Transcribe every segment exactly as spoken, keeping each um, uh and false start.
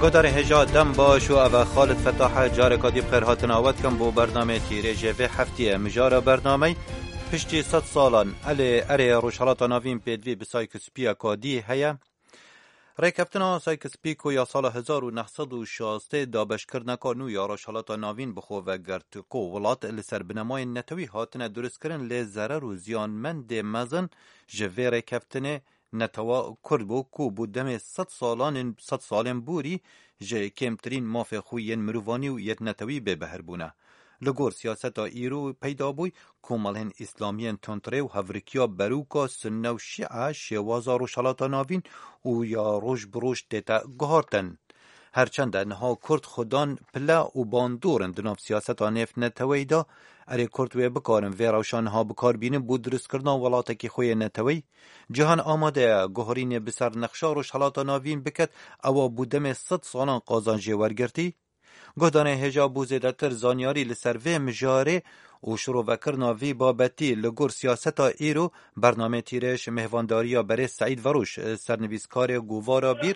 Guhdarê hêja dem baş û ev e Xalid Fetah e, careka dî bi xêr hatina we dikim bo bernameyê Tîrêjê vê heftiyê. Mijara bernameyê piştî sed salan elê erê Rojhelata Navîn pêdivî bi Sykes-Picot dî heye. Rêkeftina Sykes-Picot ya sala hezar û neh sed û şazdeh dabeşkirineka nû ya Rojhelata Navîn bi xwe vegirt ku welat li ser binemayên netewî hatine duristkirin, lê zerer û ziyanmendê mezin ji vê rêkeftinê netewa Kurd bû ku bû demê sed salanên, sed salên borî ji kêmtirîn mafê xwe yên mirovanî û yê netewî bêbehr bûne. Li gor siyaseta îro peyda bûy, komelên îslamiyên tundrê û hevrikiya berûka Sunne û Şîe şêwaza Rojhelata Navîn û ya roj bi roj tête guhartin. Her çend e niha Kurd xwedan pile û bandor in di nav siyaseta nêvneteweyî de, erê Kurd wê bikarin vê rewşa niha bikar bînin bo dirustkirina welatekî xwe yê neteweyî? Cîhan amade ye guherînê bi ser nexşa Rojhelata Navîn biket, ewa bû demê sed salan qazanc jê wergirtî? Guhdarên hêja bo zêdetir zanyarî li ser vê mijarê û şirovekirina vî babetî li gor siyaseta îro, bernameyê Tîrêj mêhvandariya berêz Seîd Veroş, sernivîskarê Govara Bîr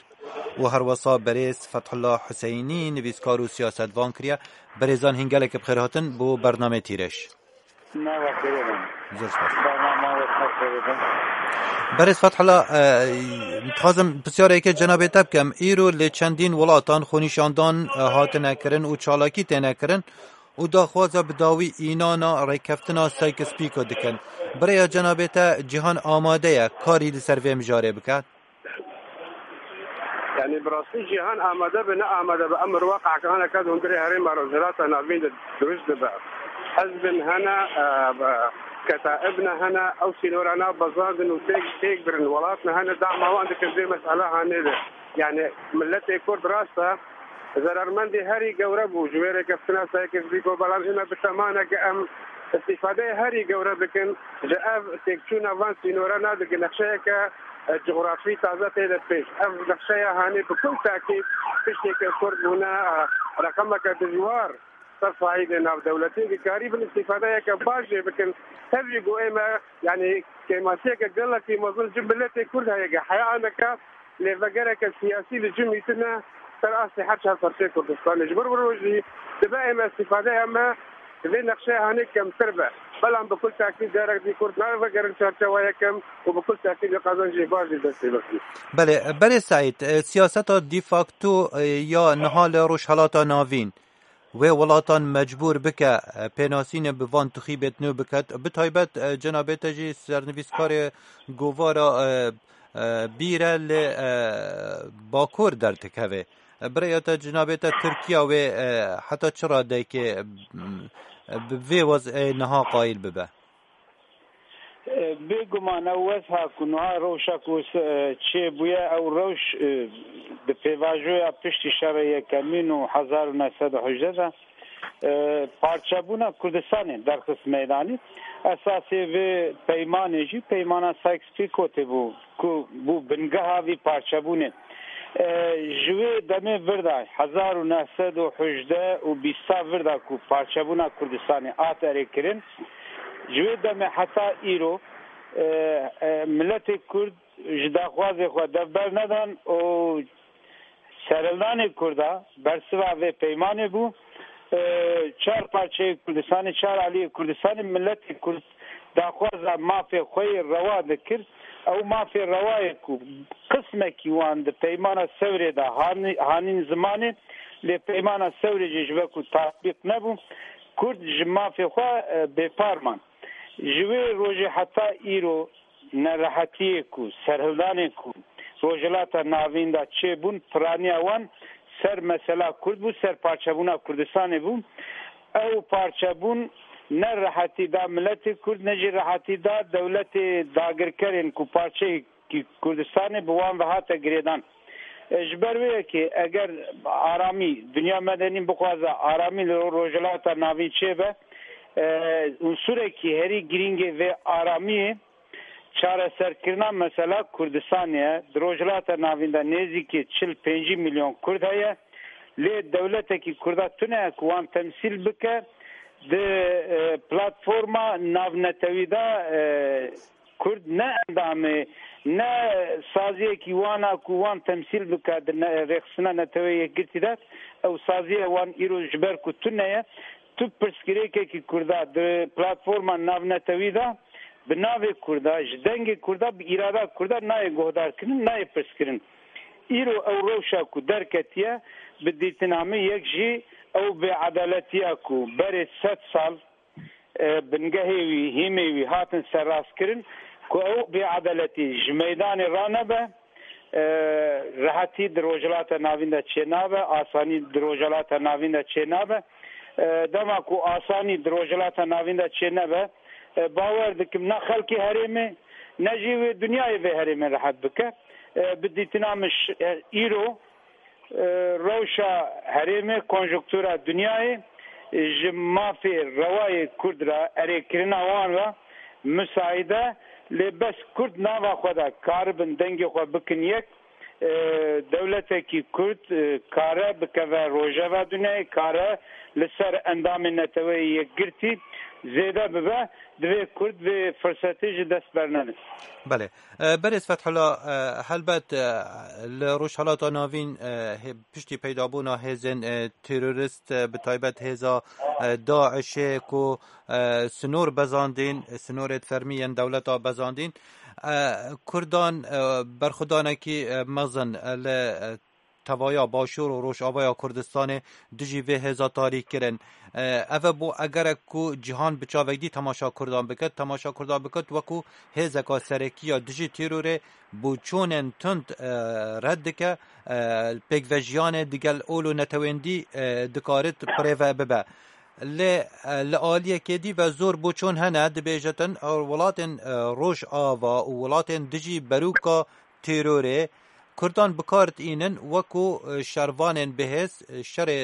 û herwesa berêz Fethullah Huseynî, nivîskar û siyasetvan kiriye. Berêzan hîn gelekî bi xêr hatin bo bernameyê Tîrêj. Nava xêrê bin. Zor spas. Bernama we xêrê bin. Berêz Fethullah, e, dixwazim pisyareke cenabê te bikim. Îro li çendîn welatan xwenîşandan, e, hatine kirin û çalakî têne kirin û daxwaza bi dawî înana rêkeftina Sykes-Picot dikin. Bi rêya cenabê te Cîhan amade ye karî li ser vê mijarê bike? Yanî bi rastî cîhan amade be, ne amade be, emir weqe'eke hineke di hundirê herêma Rojhilata Navîn de dirust dibe. Hizbin hene, e, be, ketaibne hene, ew sînora nav bezandin û têk, têk birin. Welatne hene, dama wan dikin vê mesela hanê de. Yanî miletê Kurd rast e, zerarmendê herî gewre bû ji wê rêkeftina Sykes-Picot, belam ême bi temaneke em îstîfadeyê herî gewre dikin, ji ev têkçûna van sînora nadikin nexşeyeke, e, cografî taze tê de pêş. Ev nexşeya hanê bi kul tekîd piştê ku Kurd bûne, e, reqemeke dijwar ser saîdê navdewletî, dikarîbin îstîfadeyeke baş jê bikin. Tevî ku ême, yanî kêmasiyeke gelekî mezin ji miletê Kurd heye, ge heya aneke lêvegereke siyasî li cihê tune ser astê her çar parçeyê Kurdistanê. Ji bo vê rojî dibe ême îstîfadeya me di vê nexşeyê hanê kemtir be. Belam bi kul tekîd carek dî Kurd navegerin çarçewa yekem û bi kul tekîd wê qezencê baş jî destê bixin. Belê, berê Seîd, e, siyaseta de facto, e, ya niha li Rojhelata Navîn wê welatan mecbûr bike, e, pênasînê bi van tixîbêt nû biket. Bi taybet, e, cenabê te jî sernivîskarê Govara, e, e, Bîr e li, e, Bakur derdikeve. E, bi rêya te cenabê te Tirkiya wê, e, heta çi radeyekê, e, bi vê wez'ê niha qayîl bibe? E, bêguman ew wezha ku niha rewşa ku s-, e, çêbûye, ew rewş, e, di pêvajoya piştî şerê yekemîn û hezar û neh sed û hejdeh de, e, parçebûna Kurdistanê derxist meydanê. Esasê vê peymanê jî peymana Sykes-Picotê bû ku bû bingeha vî parçebûnê. E, ji wê demê vir de, hezar û neh sed û hejdeh û bîsta vir de ku parçebûna Kurdistanê hat erêkirin, ji wê demê heta îro, e, e, miletê Kurd ji daxwazê xwe dev bernedan û serhildanê Kurda bersiva vê peymanê bû. E, çar parçeyê Kurdistanê, çar aliyê Kurdistanê, miletê Kurd daxwaza mafê xwe yê rewa dikir. Ew mafê rewa ye ku qismekî wan di peymana Sewrê de hani-, hanîn zimanê, lê peymana Sewrê jî ji ber ku tatbîq nebû, Kurd ji mafê xwe, e, bêpar man. Ji wê rojê heta îro nerehetiyê ku, serhildanê ku Rojhilata Navîn de çêbûn, piraniya wan ser mesela Kurd bû, ser parçebûna Kurdistanê bû. Ew parçebûn ne rehetî da miletê Kurd, ne jî rehetî da dewletê dagirkerên ku parçeyekî Kurdistanê bi wan ve hate girêdan. E, ji ber wê yekê eger aramî, dinya medenî bixwaze aramî li Rojhilata Navîn çêbe, e, unsurekî herî girîngê vê aramiyê çareserkirina mesela Kurdistanê ye. Di Rojhilata Navîn de nêzîkî çil pêncî milyon Kurd heye. Lê dewletekî Kurda tune ye ku wan temsîl bike. Di, e, platforma navnetewî de, e, Kurd ne endamê Ne saziyekî wan a ku wan temsîl bike di ne-, rêxistina Neteweyê Yekgirtî de, ew saziya wan îro ji ber ku tune ye, tu pirsgirêkekî Kurda di platforma navnetewî de bi navê Kurda, ji dengê Kurda, bi îrada Kurda nayê guhdarkirin, nayê pirskirin. Îro ew rewşa ku derketiye, bi dîtina min yek jî ew bêedaletiya ku berê sed sal e, bingehê wî, hîmê wî hatin serrastkirin ku ew bêedaletî ji meydanê ranebe, e, rehetî di Rojhilata Navîn de çênabe, asanî di Rojhilata Navîn de çênabe. E, dema ku asanî di Rojhilata Navîn de çênebe, e, bawer dikim ne xelkê herêmê, ne jî wê dinyayê vê herêmê rehet bike. E, bi dîtina min ş-, e, îro e, rewşa herêmê, konjonktura dinyayê, e, ji mafê rewayê Kurd re, erêkirina wan re misaîd e, lê bes Kurd nava xwe de karibin dengê xwe bikin yek, e, dewletekî Kurd, e, kare bikeve rojeva dinyayê, kare li ser endamên Neteweyê Yekgirtî zêde bibe, divê Kurd vê firsetê ji dest bernede. Belê. E, Berêz Fethullah, e, helbet, e, li Rojhilata Navîn, e, hê-, piştî peydabûna hêzên, e, terorist, e, bi taybet hêza, e, DAIŞê ku, e, sinor bezandîn, sinorê fermî yên dewleta bezandîn, e, Kurdan, e, berxwedanekî, e, mezin, e, li, e, tevaya Başûr û Rojavaya Kurdistanê dijî vê hêza tarî kirin. E, ev e bo egerek ku cîhan bi çavek dî temaşa Kurdan bike, temaşa Kurdan bike wekû hêzeka serekî ya dijî terorê boçûnên tund, e, red dike, e, pêkvejiyanê digel ol û netewên dî, e, dikarit birêve bibe. Lê, e, li aliyekê dî ve zor boçûn hene, dibêjitin, e, welatên, e, Rojava û welatên dijî berûka terorê Kurdan bi kar diînin wekû, e, şervanên bihêz, e, şerê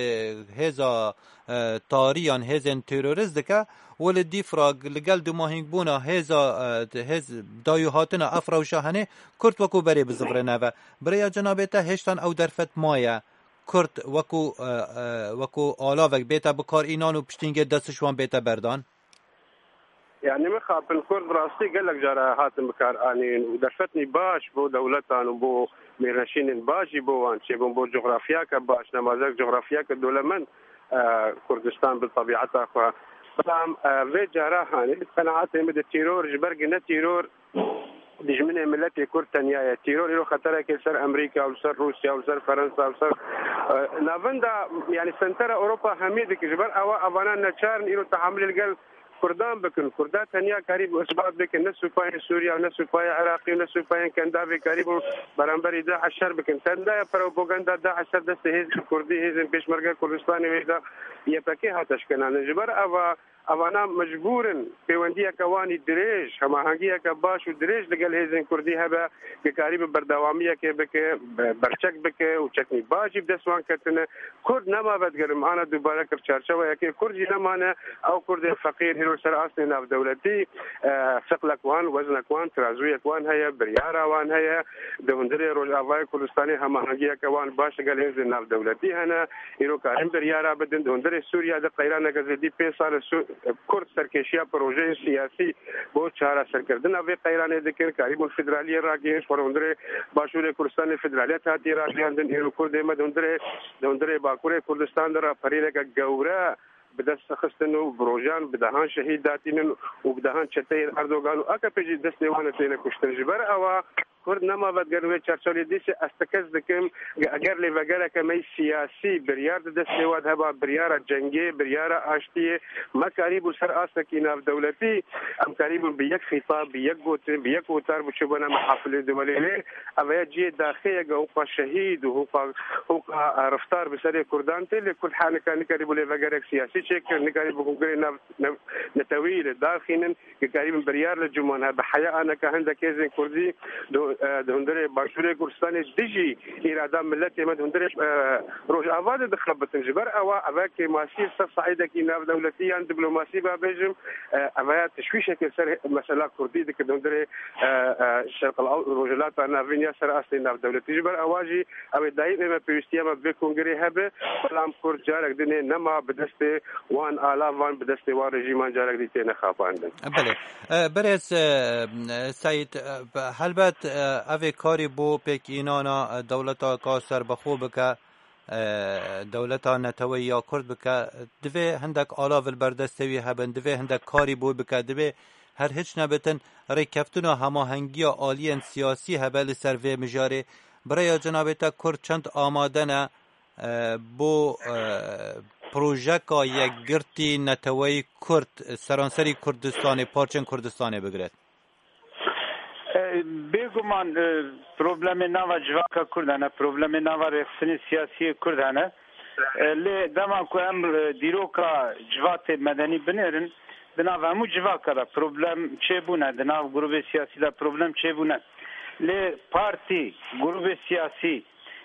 hêza, e, tarî yan hêzên terorist dike û li dîf re li gel dumahînkbûna hêza, e, hêz dayûhatina ev rewşa henê Kurd wekû berê bizivirine ve. Bi rêya cenabê te hêştan ew derfet maye Kurd wekû, e, e, wekû alavek bête bi kar înan û piştîngê dest ji wan bête berdan? Yani mixabin Kurd bi rastî gelek cara hatin bikar anîn û derfetnî baş bo dewletan û bo mêrneşînên baş jî bo wan çêbûn bo cografyake baş, nemazek cografyake dolemend, e, Kurdistan bi tebiata xwe. Belam, e, vê cara hanî bi qenaetê min de teror ji ber ku ne teror dijminê miletê Kurd tenya ye. Teror îro xeterekê li ser Amerîka û li ser Rûsya û li ser Ferensa û li ser, e, navenda, yani sentera Ewropa hemî dike. Ji ber ewa evana neçar in îro tehamilê li gel Kurdan bikin. Kurda tenya karî bi isbat bikin. Ne supayên Sûriya û ne supayê Iraqî û ne supayên Kendavê karî bûn beramberî DAIŞ şer bikin. Tenda ye propaganda DAIŞ ser destê hêzên Kurdî, hêzên Pêşmerge Kurdistanê wê de Y P G hate şikandin. Ji ber eva Evana mecbûr in pêwendiyeke wan î dirêj, hemahengiyeke baş û dirêj li gel hêzên Kurdî hebe, ku karî bi berdewamiyekê bike, be-, berçek bike û çeknî baş jî bi dest wan ketine. Kurd nema vedigerim, ana dubare kir çarçeweyekê. Kurd jî nemane, ew Kurdên feqîr, îro ser astê navdewletî, e, siqlek wan, weznek wan, tirazûyek wan heye, biryara wan heye. Di hundirê Rojavayê Kurdistanê hemahengiyeke wan baş li gel hêzên navdewletî hene. Îro karin biryara bidin. Di hundirê Sûriya de qeyraneke zêdî pênc sal e Sû-, Kurd serkêşiya projeyên siyasî bo çareserkirina vê qeyranê dikin. Karîbûn federaliyê ragihîn, ji xwe li hundirê Başûrê Kurdistanê federaliyet hatiye ragihîndin. Îro Kurdê me di hundirê, di hundirê Bakurê Kurdistan de raperîneke gewre bi dest xistin û bi rojan bi dehan şehîd datînin û bi dehan çeteyên Erdogan û A K P jî destê wan têne kuştin. Ji ber ewa Kurd nema vedigerin wê çarçewê dîsê ez tekez dikim, eger lêvegereke me siyasî biryar di destê we de heba, biryara cengê, biryara aştiyê, me karîbû ser astekî navdewletî, em karîbûn bi yek xîtab, bi yek gotin, bi yek wtar biçûbûna mehafilê di welê lê. Ev ya cihê daxê ye, ge hûqa şehîd û hûqa, hûqa, e, riftar bi serê Kurdan tê, lê Kurd ha nika nikarîbû lêvegerek siyasî çêkir, nikarîbû kongirê nav, nav, netewî li daxînin. Ku karîbin biryar li cûman hebe. Heya aneka hindek hêzên Kurdî di, e, di hundirê Başûrê Kurdistanê dijî îrada miletê me di hundirê, e, Rojava de dixebitin. Ji ber ewa eve kêmasî ser saîdekî navdewletî yan diplomasî ba bêjim, e, eve ya tişwîşekê ser mesela Kurdî dike di hundirê, e, e, Şerq el Ew-, Rojhilata Navîn ya ser astê navdewletî. Ji ber ewa jî ew ê daîm ê me pêwîstiya me bi vê kongirê hebe, belam Kurd carek dinê nema bi destê wan alavan, bi destê wan rejîman carek dî têne xapandin. Belê. E, Berêz, e, Seyîd, e, helbet, e, Ev ê karî bo pêkînana dewleta ka serbixwe bike, e, dewleta neteweyî ya Kurd bike, divê hindek alav li ber destê wî hebin, divê hindek karî bo bike, divê her hiç nebitin rêkeftina hemahengiya aliyên siyasî hebe li ser vê mijarê. Bi rêya cenabê te Kurd çend amade ne, e, bo, e, projeka yekgirtî neteweyî Kurd seranserî Kurdistanê, parçên Kurdistanê bigire? E, Bêguman, e, problemê nava civaka Kurd hene, problemê nava rêxistinê siyasiyê Kurd hene. E, lê dema ku em, e, dîroka civatê medenî binêrin, di nav hemû civaka de problem çêbûne, di nav grûbê siyasî de problem çêbûne. Lê partî, grûbê siyasî,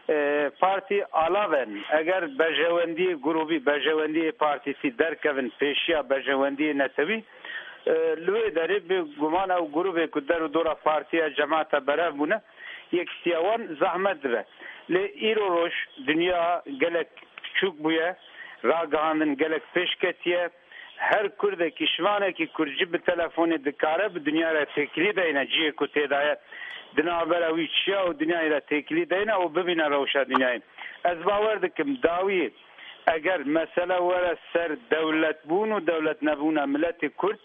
e, partî alav in. Eger berjewendiyê grûbî, berjewendiyê partîtî derkevin pêşiya berjewendiyê netewî, e, li wê derê bi guman ew grûbê ku der û dora partiya cemaeta berev bûne, yekîtiya wan zehmet dibe. Lê îro roj dinya gelek piçûk bûye, ragihandin gelek pêş ketiye. Her Kurdekî, şivanekî Kurd jî bi telefonê dikare bi dinya re têkilî deyne, cihê ku tê de ye, di navbera wî çiya û dinyayê de têkilî deyne û bibîne rewşa dinyayê. Ez bawer dikim, dawiyê eger mesele were ser dewletbûn û dewletnebûna miletê Kurd,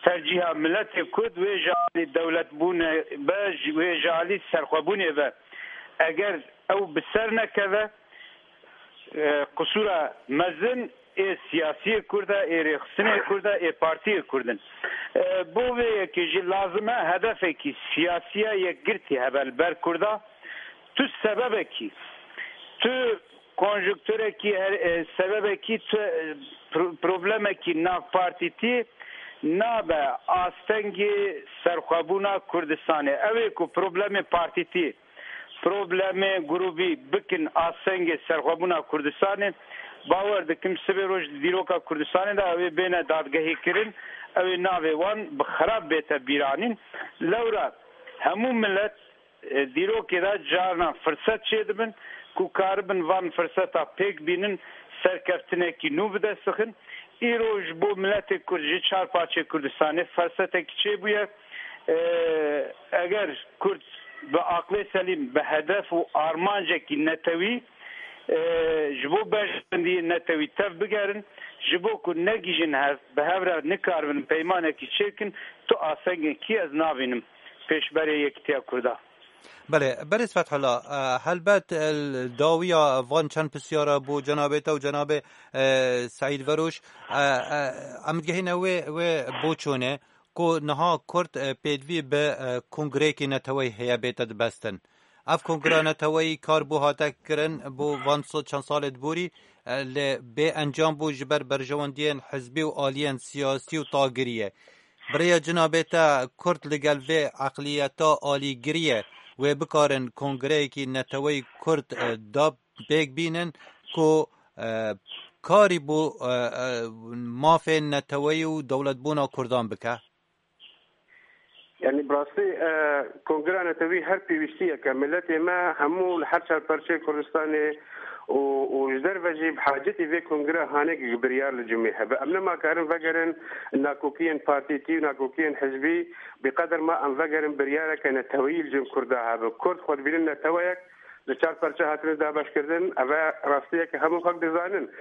tercîha miletê Kurd wê ji alî dewletbûnê be, ji, wê ji alî serxwebûnê be. Eger ew bi ser nekeve, e, qisûra mezin ê siyasiyê Kurd e, ê rêxistinê Kurd e, ê partiyê Kurd in. E, bo vê yekê jî lazim e hedefekî siyasiya yekgirtî hebe li ber Kurda. Tu sebebekî, tu konjunkturekî, her, e, sebebekî, tu, e, pro-, problemekî nav partîtî nabe astengê serxwebûna Kurdistanê. Ew ê ku problemê partîtî, problemê grûbî bikin astengê serxwebûna Kurdistanê, bawer dikim sibê roj di dîroka Kurdistanê de ew ê bêne dadgehîkirin, ew ê navê wan bi xirab bête bîranîn. Lewra hemû milet, e, dîrokê de carna firset çêdibin ku karibin van firseta pêk bînin, serkeftinekî nû bi dest bixin. Îro ji bo miletê Kurd ji çar parçeyê Kurdistanê fersetekî çêbûye. E, eger Kurd bi aqlê selîm, bi hedef û armancekî netewî, e, ji bo berjewendiyê netewî tev bigerin, ji bo ku negihîjin hev, bi hev re nikaribin peymanekî çêkin, tu astengekî ez nabînim pêşberê yekîtiya Kurda. Belê, berêz Fethullah, e, helbet, e, dawiya van çend pisyara bo cenabê te û cenabê, e, Seîd Veroj, e, e, em digihîne wê, wê boçûnê ku niha Kurd, e, pêdivî bi, e, kongreyekî neteweyî heye bête dibestin. Ev kongra neteweyî kar bû hate kirin bo van so-, çend salê di borî, e, lê bê encam bû ji ber berjewendiyên hizbî û aliyên siyasî û tagiriyê. Bi rêya cinabê te Kurd li gel vê eqliyeta alîgiriyê wê bikarin kongreyekî neteweyî Kurd, e, da pêk bînin ku, e, karî bo, e, e, mafên neteweyî û dewletbûna Kurdan bike? Yanî bi rastî, e, Kongra Netewî her pêwîstiyeke miletê me hemû li her çar perçeyê Kurdistanê û, û ji derve jî bi hacetî vê kongra hanê biryar li cumê hebe. Em nema karin vegerin nakokiyên partîtî û nakokiyên hizbî, bi qeder ma em vegerin biryareke neteweyî li cem Kurda hebe. Kurd xwe dibînin neteweyek, li çar perçe hatine dabeşkirdin, ev e rastiyeke hemû xelk dizanin.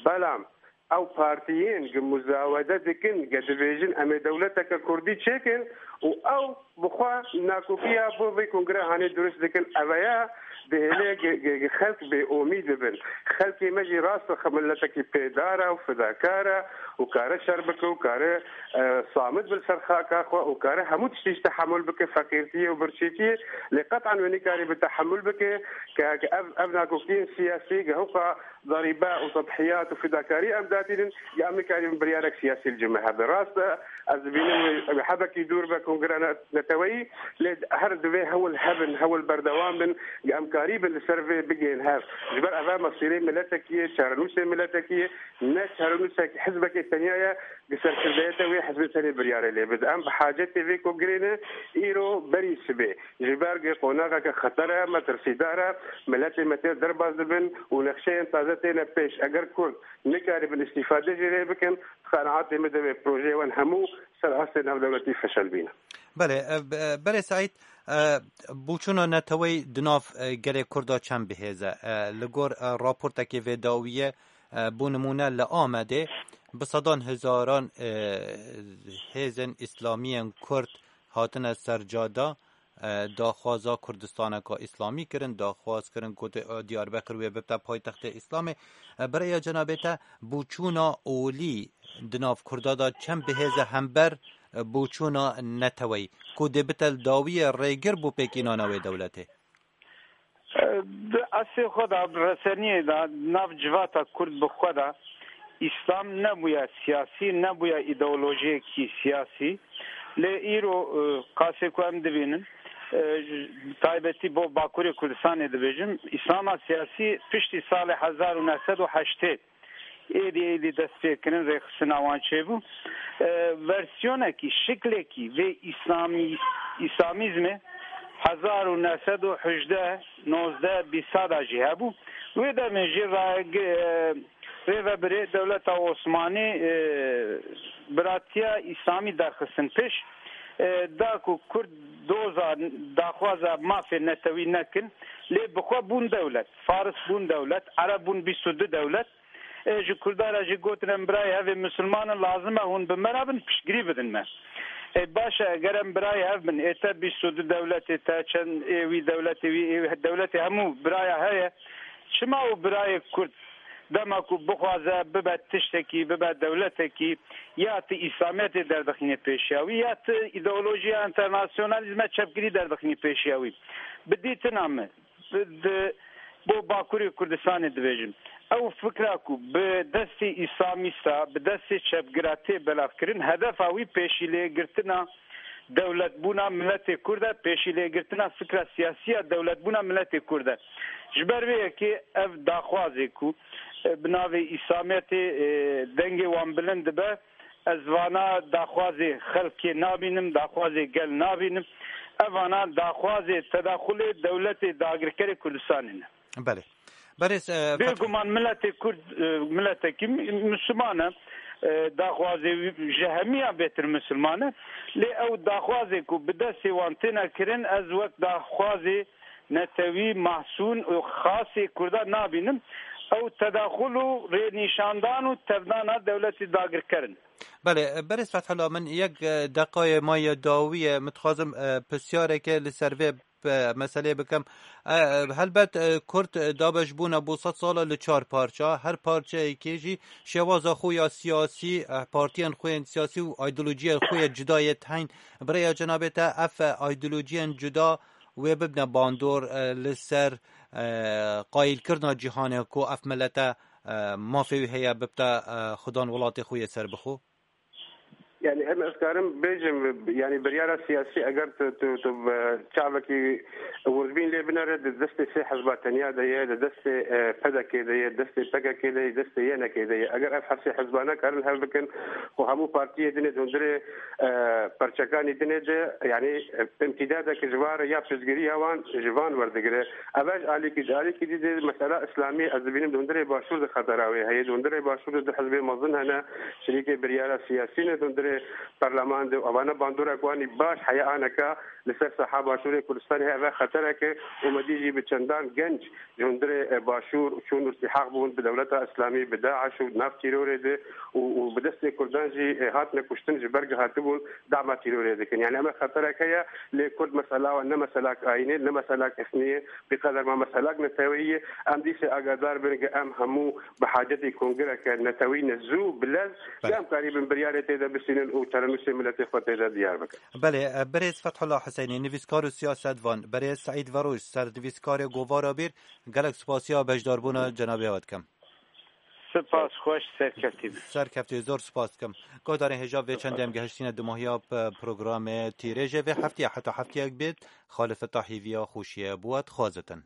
Belam ew partiyên gi muzawede dikin, ge dibêjin em ê dewleteke kurdî çêkin û ew bi xwe nakokiya bo vê kongre hanê durust dikin, ev e ya dihêle gi, gi, gi xelk bêomîd bibin. Xelkê me jî rast e, xwe miletekî pêdar e û fidakar e û kare şer bike û kare, e, samit bi li ser xaka xwe û kare hemû tiştî ji tehemul bike, feqîrtiyê û birçîtiyê, lê qet'an wê nikarî bi tehemul bike ke, ke ev, ev nakokiyên siyasî ge hewqa darîbe û tedhiyat û fidakarî em datînin, ya em nikarîbin biryarek siyasî li cem me hebe. Rast e, ez dibînim wê, wê hebekî dûr be kongra ne-, neteweyî, lê her divê hewl hebin, hewl berdewam bin, ya em karîbin li ser vê bigihên hev. Ji ber eve mesîrê miletekî ye, çarenûsê miletekî ye, ne çarenûsek hizbekê tenya ye, di serkirdeyete wê hizbê tenê biryarê lê bide. Em bi hacetê vê kongirê ne, îro berî sibê. Ji ber ku qonaxeke xeter e, metirsîdar e, miletê me tê derbas dibin û nexşeyên taze têne pêş. Eger Kurd nikaribin îstîfade jê lê bikin, qenaatê min de wê projeyê wan hemû ser astê navdewletî feşelbîne. Belê, e, b-, e, berê Seîd, e, bûçûna neteweyî di nav, e, gelê Kurda çend bihêz e? E, li gor, e, raportekê vê dawiyê, e, bo nimûne li Amedê bi sedan hezaran, e, hêzên îslamiyên Kurd hatine ser cada, e, daxwaza Kurdistaneka Îslamî kirin, daxwaz kirin ku te-, Diyarbekir wê bibte paytextê Îslamê. E, bi rêya cenabê te, bûçûna olî di nav Kurda de çend bihêz e hember, e, bûçûna neteweyî, ku dê bite li dawiyê rêgir bo pêkînana wê dewletê? Di eslê xwe de, bi reseniyê de, nav civata Kurd bi xwe de, Îslam nebûye siyasî, nebûye îdeolojiyekî siyasî. Lê îro, e, qasê ku em dibînin, e, ji taybetî bo Bakurê Kurdistanê dibêjim, Îslama siyasî piştî salê hezar û neh sed û heştê êdî, êdî dest pê kirin, rêxistina wan çêbû. E, versiyonekî, şiklekî vê Îslamî-, Îslamîzmê hezar û neh sed û hejdeh, nozdeh, bîsta de jî hebû. Wê demê jî ra-, e, rêvebirê dewleta Osmanî, e, biratiya Îslamî derxistin pêş. E, da ku Kurd doza daxwaza mafê netewî nekin, lê bi xwe bûn dewlet. Faris bûn dewlet, Ereb bûn bîst û du dewlet. E, ji Kurda re jî gotin, em birayê hev ê misilman in, lazim e hûn bi me re bin, piştgirî bidin me. E, baş e, eger em birayê hev bin, ê te bîst û du dewletê te, çend ê wî dewletê wî, ê dewletê hemû biraya heye, çima û birayê Kurd dema ku bixwaze bibe tiştekî, bibe dewletekî, ya ti Îslamiyetê derdixîne pêşiya wî, ya ti îdeolojiya enternasyonalîzme çepgirî derdixîne pêşiya wî. Bi dîtina min, di, bo Bakurê Kurdistanê dibêjim. Ew fikra ku bi destê îslamîsta, bi destê çepgira tê belavkirin, hedefa wî pêşîlêgirtina dewletbûna miletê Kurd e, pêşîlêgirtina fikra siyasî ya dewletbûna miletê Kurd e. Ji ber vê yekê ev daxwazê ku, e, bi navê Îslamiyetê, e, dengê wan bilind dibe, ez vana daxwazê xelkê nabînim, daxwazê gel nabînim. Ev vana daxwazê tedaxulê dewletê dagirkerê Kurdistanê ne. Belê. Berêz, e, Fethullah. Bêguman miletê Kurd, e, miletekî mi-, Misliman e, e, daxwazê wî ji hemiyan bêtir Misliman e. Lê ew daxwazê ku bi destê wan têne kirin, ez wek daxwazê netewî, mahsûn û xasê Kurda nabînim. Ew tedaxul û rênîşandan û tevdana dewletê dagirker in. Belê, berêz Fethullah, min yek, e, deqayê maye dawî ye, min dixwazim, e, pirsyareke li ser vê, e, meseleyê bikim. E, e, helbet, e, Kurd, e, dabeş bûne bo sed sala li çar parça, her parçeyekê jî şêwaza xwe ya siyasî, e, partiyên xwe yên siyasî û îdeolojiyên xwe ya cuda yê teyn. Bi rêya cenabê te ev, e, îdeolojiyên cuda wê bibne bandor, e, li ser, e, qayîlkirina cîhanê ku ev milete, e, mafê wî heye bibte, e, xudan welatê xwe yê serbixwe? Yani em ez karim bêjim, yani biryara siyasî eger tu, tu, tu, e, çavekî wirdbîn lê binere, di destê sê hizba tenya de ye, di destê, e, P D K de ye, destê P K K de ye, destê Y N K de ye. Eger ev hesê hizba nekarin hev bikin û hemû partiyê dinê di hundirê, e, perçekanî dinê de, yani, e, imtîdadeke ji van re ya piştgiriya wan ji van werdigire. Ev ji alîkî, ji alîkî dî de mesela îslamî ez dibînim di hundirê başûr de xetera wê heye. Di hundirê başûr de du hizbê mezin hene, şirîkê biryara siyasî ne di hundirê perleman de. Evane bandorek wan î baş heye aneka li ser saha başûrê Kurdistanê heye. Ev xetereke û me dî jî bi çendan genc ji hundirê, e, başûr çûn û îltîhaq bûn bi dewleta îslamî, bi DAIŞ û nav tîrorê de û, û bi destê Kurdan jî, e, hatine kuştin, ji ber ku hatibûn dama tîrorê dikin. Yani em ê xeterek heye, lê Kurd mesela wan ne meselak ayînê, ne meselak etnî ye, bi qeder ma meselak neteweyî ye. Em dîsê agadar bin ku em hemû bi hacetê kongreke netewî ne zû, bi lez, Belê. Em karîbin biryarê tê de bisînin û terenûsê miletê xwe tê de diyar bikin. Belê, e, berêz Fethullah Husênî, nivîskar û siyasetvan, berêz Seîd Veroj, sernivîskarê Govara Bîr, gelek spasiya beşdarbûna cenabê we dikim. Spas, xweş, serkeftin. Serkeftin, zor spas dikim. Guhdarên hêja, vê çendê em gehiştine dumahiya p-, programê Tîrêjê vê heftê, heta hefteyek bêt, Xalid Fetah hîviya xweşiyê bo we dixwazitin.